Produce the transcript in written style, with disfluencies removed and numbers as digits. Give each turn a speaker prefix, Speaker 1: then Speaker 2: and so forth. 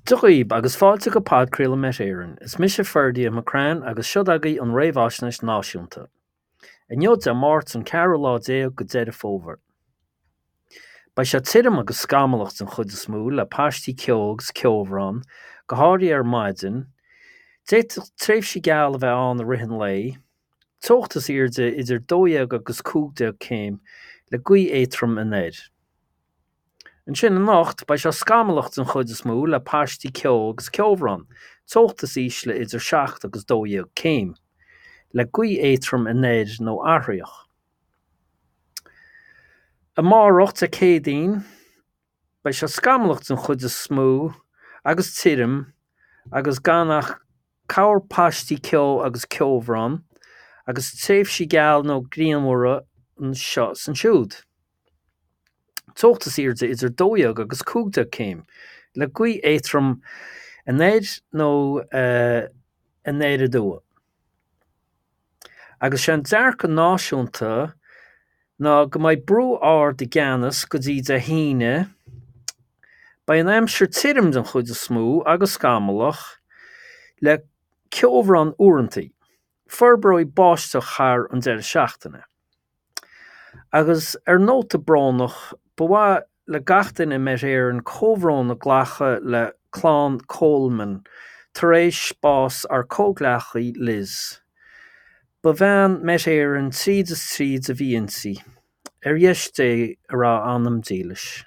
Speaker 1: Dia dhaoib agus fáilte go podchraoladh Met Éireann. Is mise Ferdia McCrann agus seod agaibh an réamhaisnéis náisiúnta. Inniu Dé Máirt an ceathrú lá déag go Deireadh Fómhair. Beidh sé tirim agus scamallach den chuid is mó le paistí ceo agus ceobhrán, go háirithe ar maidin. D'fhéadfadh tréimhsí geala a bheith ann i rith an lae. Teocht is airde idir 12 agus 15 céim le gaoth éadrom anoir. Ansin anocht, beidh sé scamallach den chuid is mó le paistí ceo agus ceobhrán, teocht is ísle idir 7 agus 12 céim, le gaoth éadrom anoir nó athraitheach. Amárach, Dé Céadaoin, beidh sé scamallach den chuid is mó agus tirim agus gan ach corrphaistí ceo agus ceobhrán agus tréimhsí geala nó grianmhara anseo is ansiúd. Teocht is airde idir 12 agus 15 céim, le gaoth éadrom anoir nó anoir aduaidh. Agus sé an dearcadh náisiúnta ná go mbeidh brú ard i gceannas go dtí Dé hAoine. Beidh an aimsir tirim den chuid is mó agus scamallach, le ceobhrán uaireanta. Forbróidh báisteach thar an deireadh seachtaine. Agus ar nóta brónach, ba mhaith le gach duine i Met Éireann comhbhrón a ghlacadh le clann Coleman tar éis bás ár comhghleacaí Liz. Ba bhean Met Éireann tríd is tríd a bhí inti. Ar dheis Dé a raibh anam dílis.